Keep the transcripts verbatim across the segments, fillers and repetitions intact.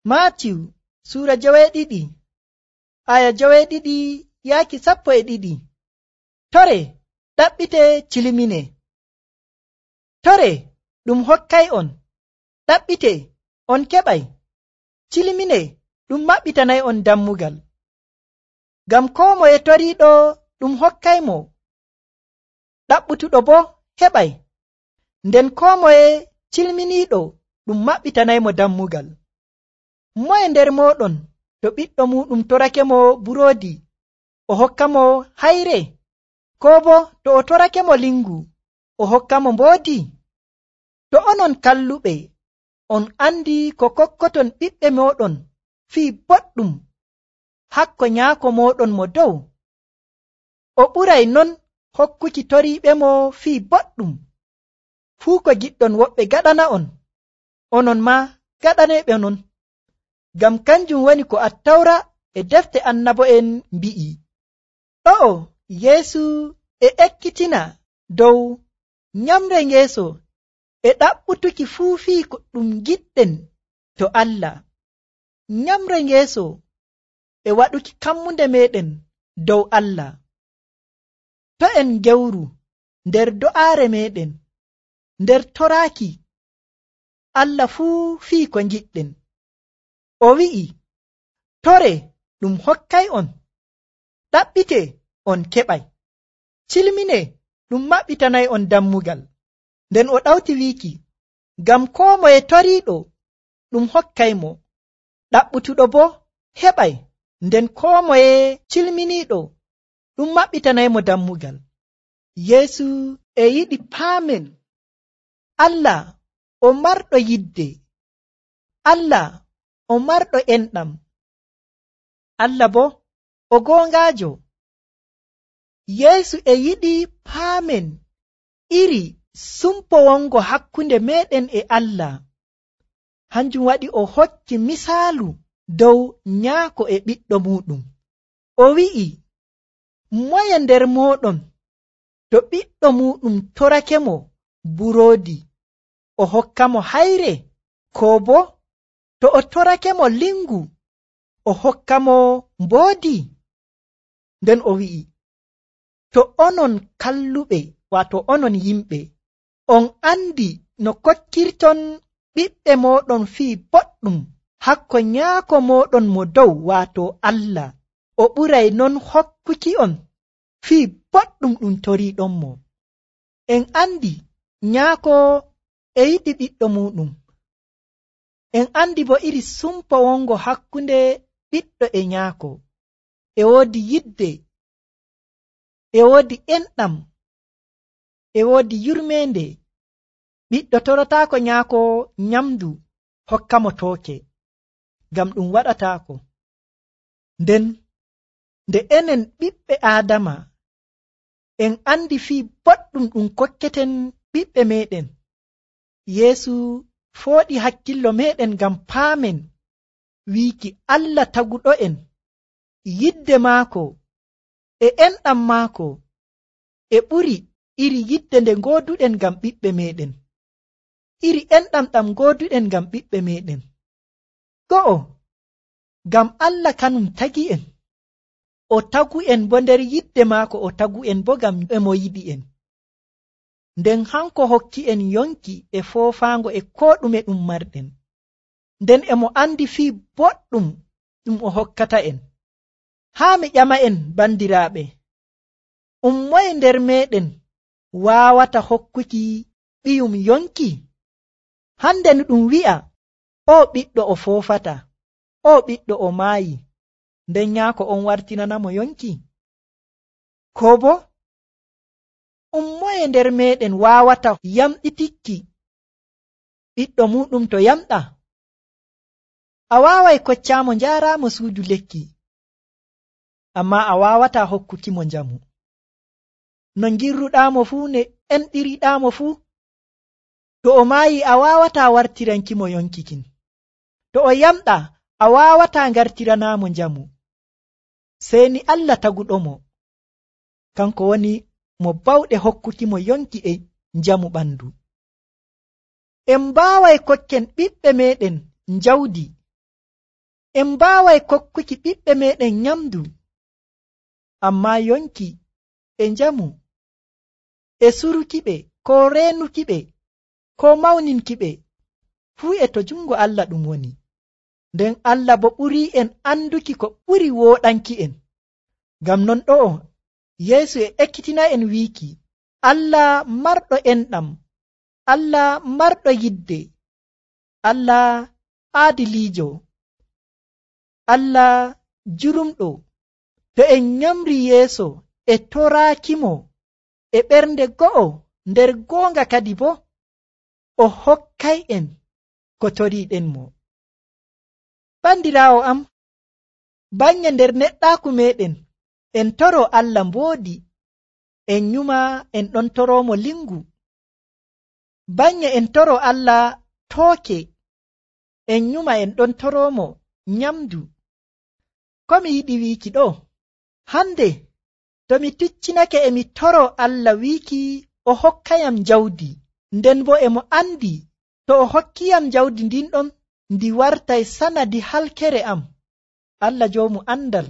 Maatiw suura joweeɗiɗi aya joweeɗiɗi yaaki sappo e ɗiɗi. Tore ɗaɓɓite cilimine. Tore ɗum hokkay on, ɗaɓɓite on keɓay, cilimine ɗum maɓɓitanay on dammugal. Ngam koo moye toriiɗo ɗum hokkaymo, ɗaɓɓutuɗo bo heɓay, nden koo moye cilminiiɗo ɗum maɓɓitanaymo dammugal. Moye nder mooɗon to ɓiɗɗo muɗum torake mo buroodi o hokkamo hayre, koo bo to o torake mo lingu o hokkamo mboodi? To onon kalluɓe on andi ko kokkoton ɓiɓɓe mooɗon fii boɗɗum hakko nyaako mooɗon mo dow, o ɓuray non hokkuki toriiɓe mo fii boɗɗum. Fuu ko giɗɗon woɓɓe gaɗana on, onon ma gaɗaneeɓe non. Ngam kanjum woni ko Attawra e defte annabo'en mbi'i. Ɗo'o Yeesu e ekkitina dow nyamre ngeeso e ɗaɓɓutuki fuu fii ko ɗum giɗɗen to Allah. Nyamre ngeeso e waɗuki kammunde meɗen dow Allah. To en gewru nder do'aare meɗen, nder toraaki Allah fuu fii ko giɗɗen. O wi'i, tore ɗum hokkay on, ɗaɓɓite on keɓay, cilmine ɗum maɓɓitanay on dammugal. Nden o ɗawti wiiki, ngam koo moye toriiɗo ɗum hokkaymo, ɗaɓɓutuɗo bo heɓay, nden koo moye cilminiiɗo ɗum maɓɓitanaymo dammugal. Yeesu e yiɗi paamen Allah o marɗo yidde, Allah o marɗo enɗam, Allah bo o goongaajo. Yeesu e yiɗi paamen iri sumpo wongo hakkunde meɗen e Allah. Hanjum waɗi o hokki misaalu dow nyaako e ɓiɗɗo muɗum. O wi'i, moye nder mooɗon to ɓiɗɗo muɗum torake mo buroodi o hokkamo hayre, koo bo to o torake mo lingu o hokkamo mboodi? Nden o wi'i, to onon kalluɓe, waato onon yimɓe, on andi no kokkirton ɓiɓɓe mooɗon fii boɗɗum hakko nyaako mooɗon mo dow, waato Allah, o ɓuray non hokkuki on fii boɗɗum ɗum toriiɗon mo. En andi nyaako e yiɗi ɓiɗɗo muɗum. En andi bo iri sumpo wongo hakkunde ɓiɗɗo e nyaako. E woodi yidde, e woodi enɗam, e woodi yurmeende. Ɓiɗɗo torotaako nyaako nyamdu hokkamo tooke, ngam ɗum waɗataako. Nden nde enen ɓiɓɓe Aadama en andi fii boɗɗum ɗum kokketen ɓiɓɓe meɗen, Yeesu fooɗi hakkillo meɗen ngam paamen wiiki Allah taguɗo'en yidde maako e enɗam maako e ɓuri iri yidde nde gooduɗen ngam ɓiɓɓe meɗen, iri enɗam ɗam gooduɗen ngam ɓiɓɓe meɗen. Go'o, ngam Allah kanum tagi'en, o tagu'en bo nder yidde maako, o tagu'en bo ngam emo yiɗi'en. Nden hanko hokki'en yonki e foofaango e koo ɗume ɗum marɗen, nden emo andi fii boɗɗum ɗum o hokkata'en. Haa mi ƴama'en bandiraaɓe, um moye nder meɗen waawata hokkuki ɓiyum yonki? Hande no ɗum wi'a, o ɓiɗɗo o foofata, o ɓiɗɗo o maayi, nden nyaako on wartinanamo yonki? Koo bo um moye nder meɗen waawata yamɗitikki ɓiɗɗo muɗum to yamɗa? A waaway koccaamo njaaraamo suudu lekki, amma a waawata hokkukimo njamu. No ngirruɗaamo fuu, ne enɗiriɗaamo fuu, to o maayi a waawata wartirankimo yonkikin. To o yamɗa a waawata ngartiranamo njamu. Seni Allah taguɗomo, kanko woni mo bawɗe hokkukimo yonki e njamu ɓandu. En mbaaway kokken ɓiɓɓe meɗen njawdi, en mbaaway kokkuki ɓiɓɓe meɗen nyamdu, ammaa yonki e njamu e surukiɓe ko reenukiɓe ko mawninkiɓe fuu e to jungo Allah ɗum woni. Nden Allah bo ɓurii en anduki ko ɓuri wooɗanki en. Ngam non ɗo'o Yeesu e ekkitina en wiiki Allah marɗo enɗam, Allah marɗo yidde, Allah aadiliijo, Allah jurumɗo, to en nyamri yeeso e toraakimo e ɓernde go'o nder goonga kadi bo o hokkay en ko toriiɗen mo. Bandiraawo am, banye nder neɗɗaaku meɗen en toro Allah mboodi, en nyuma en ɗon toroomo lingu. Banye en toro Allah tooke, en nyuma en ɗon toroomo nyamdu. Ko mi yiɗi wiiki ɗo, hande to mi ticcinake e mi toro Allah wiiki o hokkayam jawdi, nden bo e mo andi to o hokkiyam jawdi ndin ɗon ndi wartay sanadi halkere am. Allah joomu andal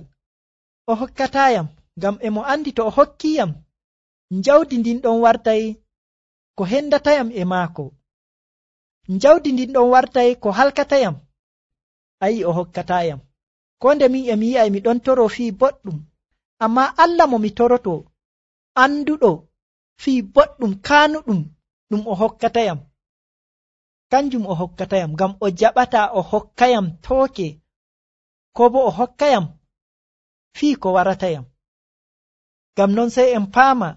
o hokkatayam, ngam e mo andi to o hokkiyam jawdi ndin ɗon wartay ko hendatayam e maako, jawdi ndin ɗon wartay ko halkatayam. Ayi o hokkatayam. Ko nde min e mi yi'ay mi ɗon toro fii boɗɗum, amma Allah mo mi toroto anduɗo fii boɗɗum kaanuɗum ɗum o hokkatayam, kanjum o hokkatayam, ngam o jaɓata o hokkayam tooke ko bo o hokkayam fii ko waratayam. Ngam non sey en paama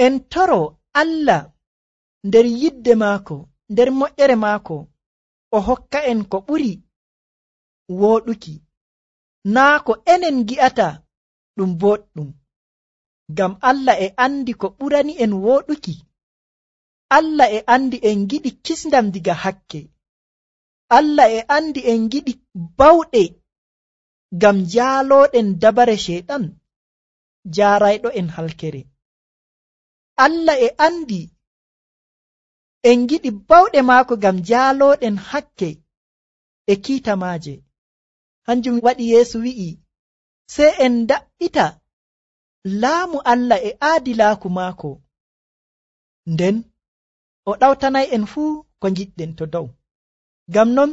en toro Allah nder yidde maako, nder moƴƴere maako, o hokka en ko ɓuri wooɗuki, naa ko enen gi'ata ɗum boɗɗum. Ngam Allah e andi ko ɓurani en wooɗuki. Allah e andi en giɗi kisndam diga hakke. Allah e andi en giɗi bawɗe ngam jaalooɗen dabare sheyɗan jaarayɗo en halkere. Allah e andi en giɗi bawɗe maako ngam jaalooɗen hakke e kiita maaje. Hanjum waɗi Yeesu wi'i sey en daɓɓita laamu Allah e aadilaaku maako, nden o ɗawtanay en fuu ko ngiɗɗen to dow. Ngam non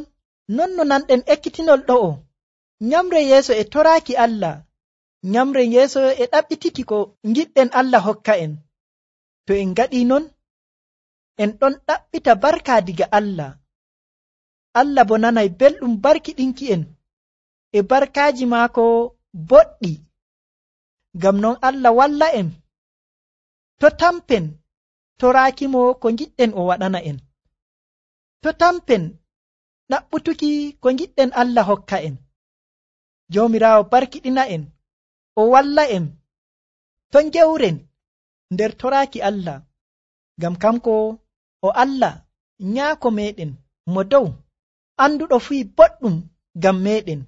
non no nanɗen ekkitinol ɗo'o, nyamre yeeso e toraaki Allah, nyamre yeeso e ɗaɓɓitiki ko ngiɗɗen Allah hokka en. To en ngaɗii non en ɗon ɗaɓɓita barka diga Allah. Allah bo nanay belɗum barkiɗinki en e barkaaji maako boɗɗi. Ngam non Allah walla en to tampen toraakimo ko ngiɗɗen o waɗana en, to tampen ɗaɓɓutuki ko ngiɗɗen Allah hokka en. Joomiraawo barkiɗina en, o walla en to ngewren nder toraaki Allah, ngam kanko o Allah nyaako meɗen mo dow, anduɗo fii boɗɗum ngam meɗen.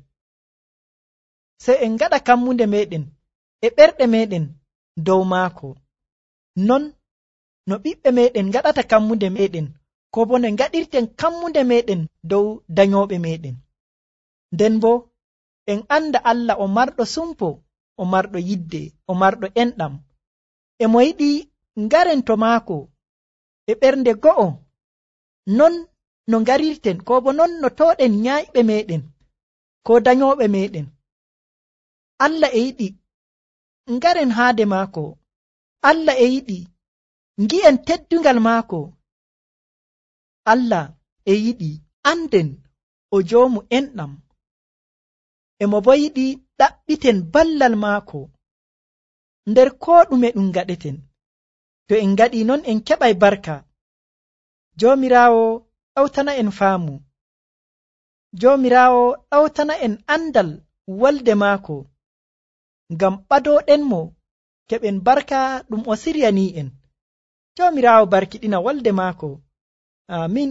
Sey en ngaɗa kammunde meɗen e ɓerɗe meɗen dow maako, non no ɓiɓɓe meɗen ngaɗata kammunde meɗen, ko bo no ngaɗirten kammunde meɗen dow danyooɓe meɗen. Nden bo en anda Allah o marɗo sumpo, o marɗo yidde, o marɗo enɗam, e mo yiɗi ngaren to maako e ɓernde go'o, non no ngarirten ko bo non no tooɗen nyaayiɓe meɗen ko danyooɓe meɗen. Allah e yiɗi ngaren haade maako, Allah e yiɗi ngi'en teddungal maako, Allah e yiɗi anden o joomu enɗam, e mo bo yiɗi ɗaɓɓiten ballal maako nder koo ɗume ɗum ngaɗeten. To en ngaɗii non en keɓay barka. Joomiraawo ɗawtana en faamu, Joomiraawo ɗawtana en andal wolde maako, ngam ɓadooɗen mo keɓen barka ɗum o siryanii en. Joomiraawo barkiɗina wolde maako. Amin.